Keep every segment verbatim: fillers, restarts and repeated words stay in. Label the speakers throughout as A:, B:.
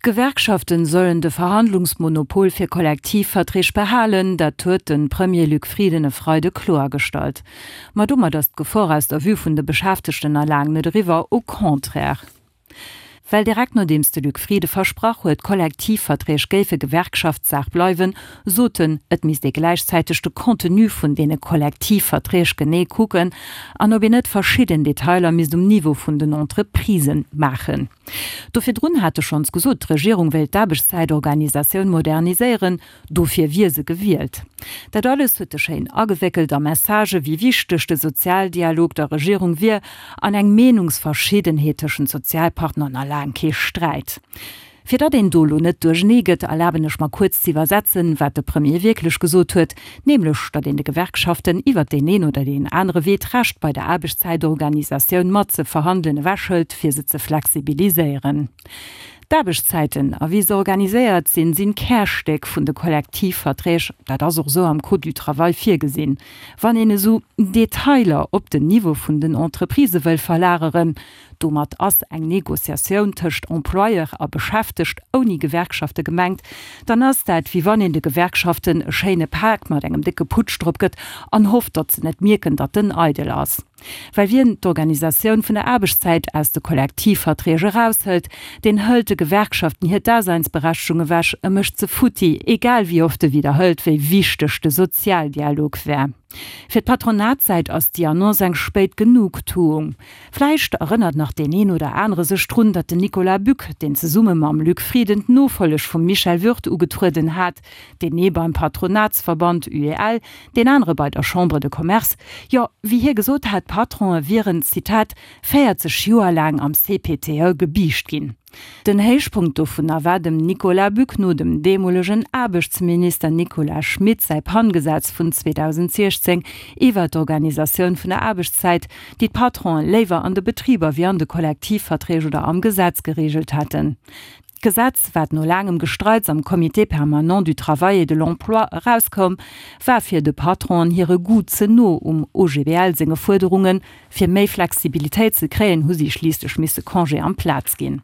A: D'Gewerkschaften sollen de Verhandlungsmonopol fir Kollektivverträg behalen, dat huet de Premier Luc Frieden e Freide kloergestallt. Ma domat ass d'Gefor aus der Vue vun de Beschäftegten nach laang net eriwwer, au contraire. Well direkt nodeems de Luc Frieden versprach huet, d'Kollektivverträg géife Gewerkschaftssaach bleiwen, sot en, et misst ee gläichzäiteg de Contenu vun deene Kollektivverträg genee kucken an ob een net verschidden Detailer misst um Niveau vun den Entreprisen maachen. Do virdrun hat e schonns gesot, d'Regierung wéilt d'Aarbechtszäitorganisatioun moderniséieren, dofir wier se gewielt. Dat alles huet e schéin agewéckelt a Messagë wéi wichteg de Sozialdialog der Regierung wier an eng Meenungsverschiddenheet tëschent Sozialpartner nach laang kee Sträit. Fir datt een do elo net duerchernee gëtt, erlaben ech mer kuerz ze iwwersetzen, wat de Premier wierklech gesot huet, nämlech datt een de Gewerkschaften iwwert deen een oder deen anere Wee d'Recht bei der Aarbechtszäitorganisatioun mat ze verhandelen ewechhëlt, fir se ze flexibiliséieren. D'Aarbechtszäiten a wéi se organiséiert sinn, sinn d'Kärstéck vun de Kollektivverträg, dat ass och esou am Code du travail virgesinn. Wann een esou Detailer op den Niveau vun den Entreprisë wëll verlageren, domat ass eng Negociatioun tëscht Employeur a Beschäftegt ouni Gewerkschafte gemengt, dann ass dat wéi wann een de Gewerkschaften e schéine Pak mat engem décke Putsch drop gëtt an hofft, datt se net mierken, datt en eidel ass. Well wien d'Organisatioun vun der Aarbechtszäit aus de Kollektivverträg eraushëlt, deen hëlt de Gewerkschaften hir Daseinsberechtegung ewech, e mécht se futti, egal wéi oft e widderhëlt, wéi wichteg de Sozialdialog wär. Fir d'Patronatssäit ass déi Annonce eng spéit Genugtuung. Vläicht erënnert nach deen een oder anere sech drun, datt den Nicolas Buck, deen zesumme mam Luc Frieden d'Nofolleg vum Michel Würth ugetrueden hat, deen ee beim Patronatsverband U E L, deen anere bei der Chambre de Commerce, jo, wéi hie gesot hat, d'Patrone wieren, Zitat, véierzeg Joer laang am C P T E gebiischt ginn. Den Héichpunkt dovunner war dem Nicolas Buck no dem deemolegen Aarbechtsminister Nicolas Schmit säi PAN-Gesetz vun zweedausentsiechzéng iwwer d'Organisatioun vun der Aarbechtszäit, déi d'Patronen léiwer an de Betriber wéi an de Kollektivverträg oder am Gesetz gereegelt hätten. D'Gesetz, wat no laangem Gestreits am Comité permanent du travail et de l'emploi erauskoum, war fir de Patronen hire Goût ze no um O G B L senge Fuerderungen. Fir méi Flexibilitéit ze kréien, hu si schliisslech misse Congé amplaz ginn.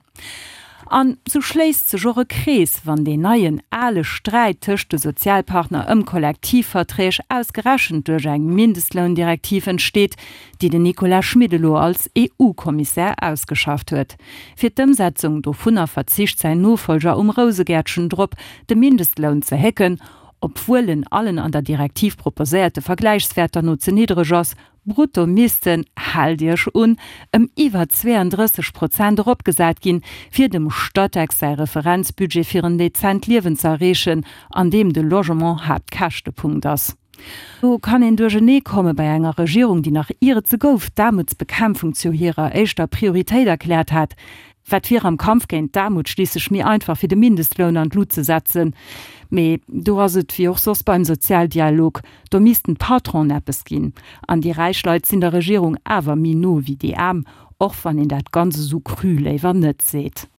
A: An sou schléisst sech och e Krees, wann deen neien ale Sträit tëscht de Sozialpartner ëm Kollektivverträg ausgerechent duerch eng Mindestloundirektiv entsteet, déi den Nicolas Schmit elo als E U-Kommissär ausgeschafft huet. Fir d'Ëmsetzung dovunner verzicht säin Nofolger um Rousegäertchen drop, de Mindestloun ze hécken, obwuel en allen an der Direktiv proposéierte Vergläichswäerter no ze niddreg ass. Brutto missten, haalt Iech un, ëm iwwer zweeëndrësseg Prozent eropgesat ginn, fir dem Statec säi Referenzbudget fir en dezent Liewen ze erreechen, an deem de Logement Haaptkäschtepunkt ass. Do kann een duerchernee komme bei enger Regierung, déi nach ier et se gouf, d'Aarmutsbekämpfung zu hirer éischter Prioritéit erkläert hat. Wat wier am Kampf géint d'Aarmut schliisslech méi einfach, fir de Mindestloun an d'Lut ze setzen? Mee do ass et wéi och soss beim Sozialdialog, do missten d'Patronen eppes ginn. An déi räich Leit sinn der Regierung awer méi no wéi déi Aarm, och wann een dat Ganze sou cru léiwer net seet.